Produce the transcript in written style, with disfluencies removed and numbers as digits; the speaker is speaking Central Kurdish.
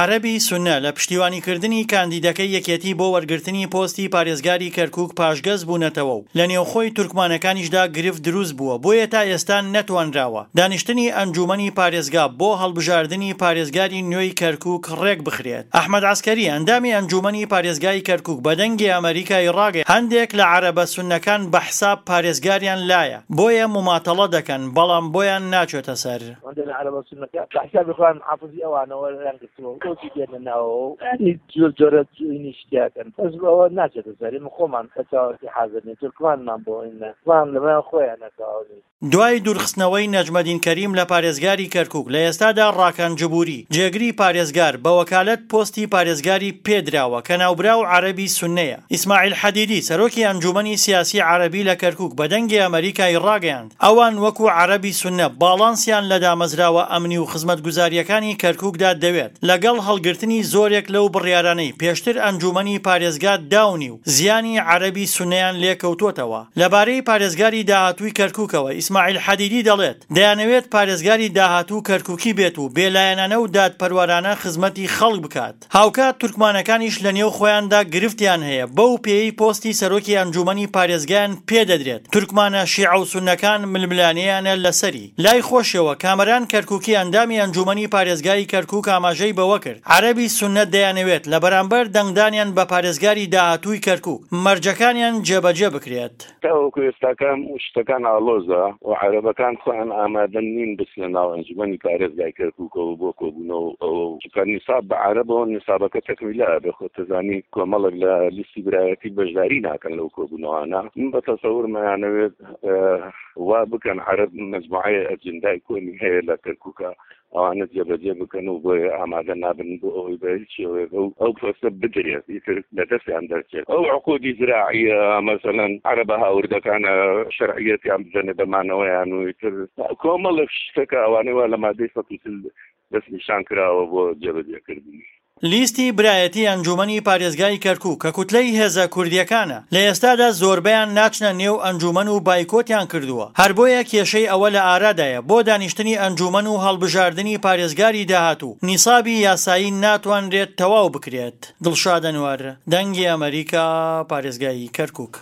عەرەبی سوننە لە پشتیوانیکردنی کاندیدەکەی یەکێتی بۆ وەرگرتنی پۆستی پارێزگاری کەرکوک پاشگەز بوونەتەوە و لە نێوخۆی تورکمانەکانیشدا گرفت دروست بووە بۆیە تا ئێستا نەتوانراوە دانیشتنی ئەنجوومەنی پارێزگا بۆ هەڵبژاردنی پارێزگاری نوێی کەرکوک ڕێکبخرێت. ئەحمەد عەسکەری ئەندامی ئەنجوومەنی پارێزگای کەرکوک بە دەنگی ئەمەریکای ڕاگەیاند هەندێک لە عەرەبە سوننەکان بە حساب پارێزگاریان لایە بۆیە موماتەڵە دەکەن بەڵام بۆیان ناچێتە سەر. هەندێک لە عەرەبە سوننەکان بە حسابی خۆیان محافزی ئەوانەوە یان گرتووە و بۆچی دێنە ناوەوە و یانی جۆر جۆرە جوینی شتیاکەن بەس ئەوە ناچێتە سەر ئێمە خۆمان بە تەواوەتی حازر نین تورکمانمان بۆ ئینە بەڵام لەمایان خۆیان نەتەواو نین. دوای دوورخستنەوەی نەجمەدین کەریم لە پارێزگاری کەرکوک لە ئێستادا ڕاکان جبوری، جێگری پارێزگار بە وەکالەت پۆستی پارێزگاری پێدراوە کە ناوبراو عەرەبی سوننەیە. ئیسماعیل حەدیدی، سەرۆکی ئەنجومەنی سیاسی عەرەبی لە کەرکوک بە دەنگی ئەمەریکای ڕاگەیاند، ئەوان وەکو عەرەبی سوننە باڵانسیان لە دامەزراوە ئەمنی و خزمەتگوزارییەکانی کەرکوکدا دەوێت، لەگەڵ هەڵگرتنی زۆرێک لەو بڕیارانەی پێشتر ئەنجومەنی پارێزگا داونی و زیانی عەرەبی سوننەیان لێکەوتۆتەوە. لەبارەی پارێزگاری داهاتووی کەرکوکەوە ئیسماعیل حەدیدی دەڵێت، دەیانەوێت پارێزگاری داهاتوو کەرکوکی بێت و بێلایەنانە و دادپەروەرانە خزمەتی خەڵک بکات. هاوکات تورکمانەکانیش لە نێو خۆیاندا گرفتیان هەیە، بەو پێیەی پۆستی سەرۆکی ئەنجوومەنی پارێزگایان پێدەدرێت، تورکمانە شیعە و سوننەکان ململانێیانە لەسەری. لای خۆشیەوە کامەران کەرکوکی ئەندامی ئەنجوومەنی پارێزگای کەرکوک ئاماژەی بەوەکرد، عەرەبی سوننە دەیانەوێت لە بەرامبەر دەنگدانیان بە پارێزگاری داهاتووی کەرکوک، مەرجەکانیان جێبەجێ بکرێت. تاوەکو ئێستاکە شتەکان ئاڵۆزە و عەرەبەکان خۆیان ئامادە نین بچنە ناو ئەنجومەنی پارێزگای کەرکوکەوە بۆ کۆبوونەوە و ئەوە و چونکە نیساب بە عەرەبەوە نیسابەکە تەکمیلە ئەبێ خۆت دەزانی کۆمەڵێک لە لیستی برایەتی بەشداری ناکەن لەو کۆبوونەوانە من بە تەسەورم ئەیانەوێت وا بکەن عەرەب مەجموعەیە ئەجندای کۆنی هەیە لە کەرکوکە ئەوانە جێبەجێ بکەن و بۆیە ئامادە نابن بۆ ئەوەی بە هیچ شێوەیەک ئەو ئەو پۆستە بدرێت ئیتر لە دەستیان دەرچێت ئەو عقودی زراعیە مەسەلەن عەرەبە هاوردەکانە شەرعیەتیان بدەنێ بە مانەوەیان و ئیتر کۆمەڵێک شتەکە ئەوانەی وا لە مادەی 140 دەستنیشان کراوە بۆ جێبەجێکردنی. لیستی برایەتی ئەنجوومەنی پارێزگای کەرکوک کە کوتلەی هێزە کوردییەکانە، لە ئێستادا زۆربەیان ناچنە نێو ئەنجوومەن و بایکۆتیان کردووە، هەر بۆیە کێشەی ئەوە لە ئارادایە بۆ دانیشتنی ئەنجوومەن و هەڵبژاردنی پارێزگاری داهاتوو نیسابی یاسایی ناتوانرێت تەواو بکرێت. دڵشاد ئەنوەر، دەنگی ئەمەریکا، پارێزگای کەرکوک.